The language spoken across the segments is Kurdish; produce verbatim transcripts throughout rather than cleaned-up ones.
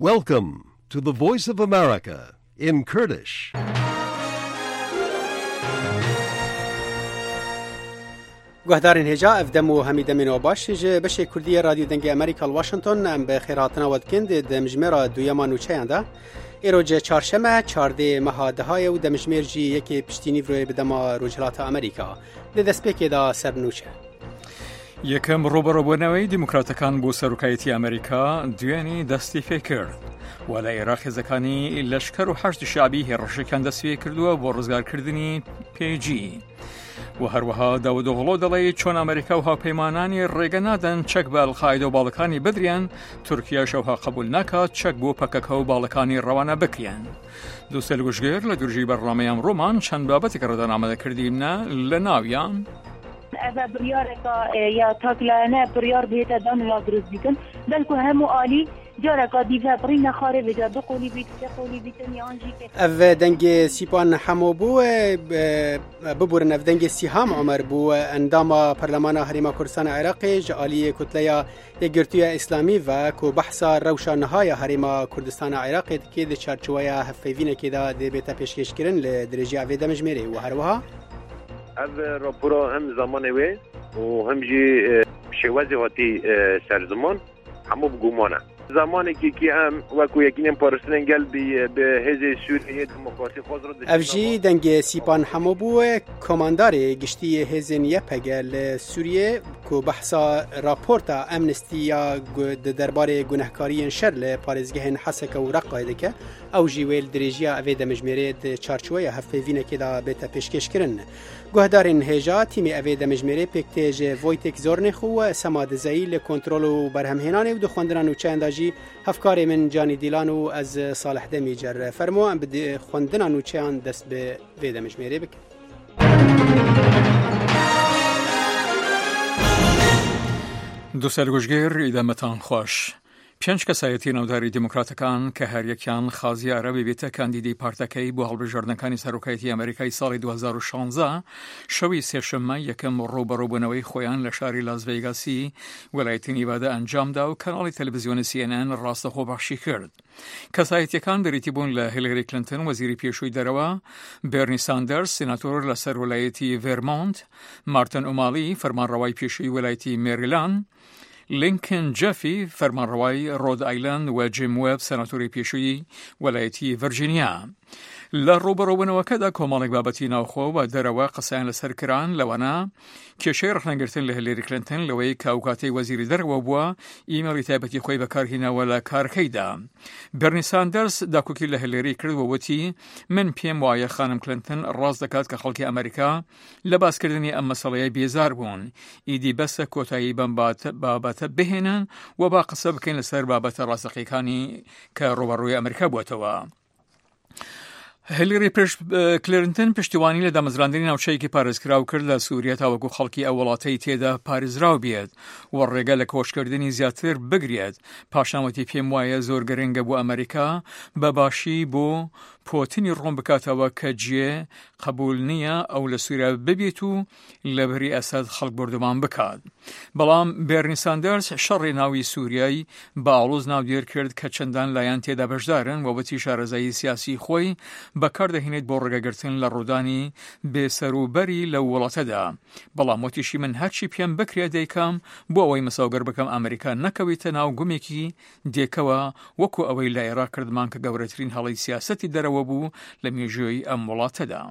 Welcome to the Voice of America in Kurdish. Guhdarên hêja, ev dem û hemî demên we baş. Ji beşê Kurdî yê Radyo Dengê Amerîka li Washington em bi xêrhatina we dikin di demjimêra duyema nûçeyan de. Îro çarşeme, çardê meha dehayê û demjimêr jî yekê piştî nîvroyê bi dema Rojhilata Amerîka. Di destpêkê de ser nûçe. Yekem ڕوبەڕووبوونەوەی دیموکراتەکان بۆ سەرۆکایەتی ئەمریکا دوێنی دەستی پێ کرد و لە عێراق هێزەکانی لەشکەر و حەشد شعبی هێڕشێکیان دەست پێ کردووە بۆ ڕزگارکردنی پێجی. و هەروەها داودۆغڵۆ دەڵێ چۆن ئەمریکا و هاوپەیمانانی ڕێگە نادەن چەک بە ئەلقاعدە و باڵەکانی بدرێن، تورکیاش ئەوها قبول ناکات چەک بۆ پەکەکە و باڵەکانی ڕەوانە بکرێن. دووسەل گوشگێر لە درژی بەرنامەیان ڕۆمان چەند بابەتێک ڕەدان ئامادە کردیمنە لە ناویان. Ev e biryareka, e, ya taklayene biryar bihête dan û ya dirust bîtin. Belku hemû alî careka dî ve birî nexarê vêca du qolî bît, sê qolî bîtin yan jî ke- Ev dengê Sîpan Hemo bû, e, e, biburin, ev dengê Sîham Omer bû, e, endama Parlemana Herêma Kurdistana Iraqê ji aliyê Kutleya Yekgirtiya Îslamî ve ku behsa rewşa niha ya Herêma Kurdistana Iraqê dike, di çarçoweya hevpeyvînekê de dê bête pêşkêşkirin li dirêjiya vê demjimêrê û herwiha. Ev rapora hem zamanê wê û hem jî, e, şêwazê hatî, e, ser ziman, hemû bi guman e. Zamanekî ki em wekû Yekînên Parastinên Gel bi, bi Hêzê Sûriyê Demokratîk xwaz re Ev jî dengê Sîpan Hemo bû, komandarê giştî yê hêzên Y P G li Sûriyê, ku behsa raporta Amnesty ya gu-, di derbarê gunehkariyên şer li parêzgehên Heseke û Reqayê dike, ew jî wê li dirêjiya vê demjimêrê di çarçoweya hevpeyvînekê de bête pêşkêşkirin. Guhdarên hêja, tîmê evê demjimêrê pêk tê ji Wojtek Zornêx û Sema Dizeyî li kontrol û berhemhênanê û di xwendina nûçeyan de jî hevkarê min Canî Dîlan û ez Salih Demîcer. Fermo, em bi di-, xwendina nûçeyan dest bi vê demjimêrê bikin. دووسەل گوشگێر ئیدەمەتان خۆش. پێنج کەسایەتی ناوداری دیموکراتەکان کە هەریەکیان خازیارە ببێتە کاندیدی پارتەکەی بۆ هەڵبژاردنەکانی سەرۆکایەتی ئەمریکای ساڵی دوو هەزار و شانزە، شەوی سێشەممە یەکەم ڕوبەڕووبوونەوەی خۆیان لە شاری لاس ڤێگاسی وەلایەتی نیڤادا ئەنجامدا و کەناڵی تەلەڤیزیۆنی C N N ڕاستەخۆ بەخشی کرد. کەسایەتیەکان بریتی بوون لە هیلاری کلنتن، وەزیری پێشووی دەرەوە، بێرنی ساندەرس، سیناتۆر لەسەر وەلایەتی ڤێرمۆنت، مارتن ئومالی، فەرمانڕەوای پێشووی وەلایەتی مێریلان، لینکن جەفی، فەرمانڕەوای ڕۆد ئایلند و جیم وێب، سەناتۆری پێشووی وەلایەتی ڤەرجینیا. لە ڕوبەڕووبوونەوەکەدا کۆمەڵێک بابەتی ناوخۆ و دەرەوە قسەیان لەسەر کران، لەوانە کێشەی ڕەخنەگرتن لە هیلاری کلنتن لەوەی کە ئەو کاتەی وەزیری دەرەوە بووە، ئیمێڵی تایبەتی خۆی بەکارهیناوە لە کارەکەیدا. بێرنی ساندەرس داکۆکی لە هیلاری کرد و وتی، من پێم وایە خانم کلنتن ڕاست دەکات کە خەڵکی ئەمریکا لە باسکردنی ئەم مەسەڵەیە بێزار بوون. ئیدی بەسە کۆتایی بەم بات-، بابەتە بهێنن و با قسە بکەین لەسەر بابەتە ڕاستەقیەکانی کە ڕوبەڕووی ئەمریکا بووەتەوە. هیلاری پشت-، کلینتن پشتیوانی لە دامەزراندنی ناوچەیەکی پارێزکراو کرد لە سووریا تاوەکو خەڵکی ئەو وڵاتەی تێدا پارێزراو بێت و ڕێگە لە کۆچکردنی زیاتر بگرێت. پاشان وتی، پێم وایە زۆر گرنگە بۆ ئەمریکا بە باشی بۆ پۆتینی ڕوون بکاتەوە کە جێ قبول نییە ئەو لە سووریا ببێت و لە بری ئەسەد خەڵک بردومان بکات. بەڵام بێرنی ساندەرس شەڕی ناوی سووریای بە ئاڵۆز ناودێر کرد کە چەندان لایەن تێدا بەشدارن و وتی شارەزایی سیاسی خۆی بەکاردەهێنێت بۆ ڕێگەگرتن لە ڕوودانی بێسەروبەری لەو وڵاتەدا. بەڵام وتیشی، من هەرچی پێم بکرێت دەیکەم بۆ ئەوەی مساوگەر بکەم ئەمریکا نەکەویتە ناو گومێکی دێکەوە، وەکو ئەوەی لە عێراق کردمان کە گەورەترین هەڵەی سیاسەتی دەرەوە بوو لە مێژووی ئەم وڵاتەدا.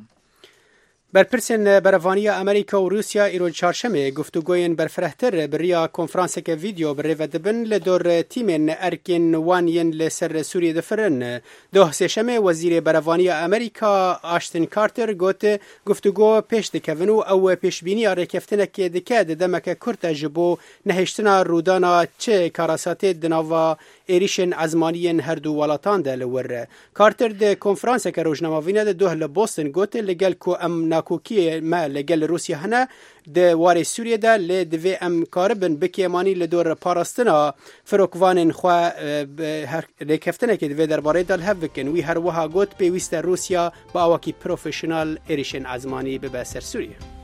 بەرپرسên berevaniya Amerîka û Rûsya îro çarşemê guftûgoyên berfirehtir bi riya konferanseke vîdeo bi rê ve dibin li dor tîmên erkên wan yên li ser Sûriyê difirin. Doh sêşemê wezîrê berevaniya Amerîka Ashton Carter got, guftûgo pêş dikevin û ew pêşbîniya rêkeftinekê dike di demeke kurt de ji bo nehiştina rûdana çi karasatê di nava êrîşên ezmanî yên her du welatan de li wir. Carter di konferanseke rojnamevîne de doh li Boston got, li gel ku em nakokiyê me li gel Rûsya hene di warê Sûriyê de, lê divê em karibin bi kêmanî li dor parastina firokvanên xwe, e, bi her rêkeftinekê di vê derbarê de li hev bikin. Wî her wiha got, pêwîst e Rûsya bi awakî profesyonel êrîşên ezmanî bibe ser Sûriyê.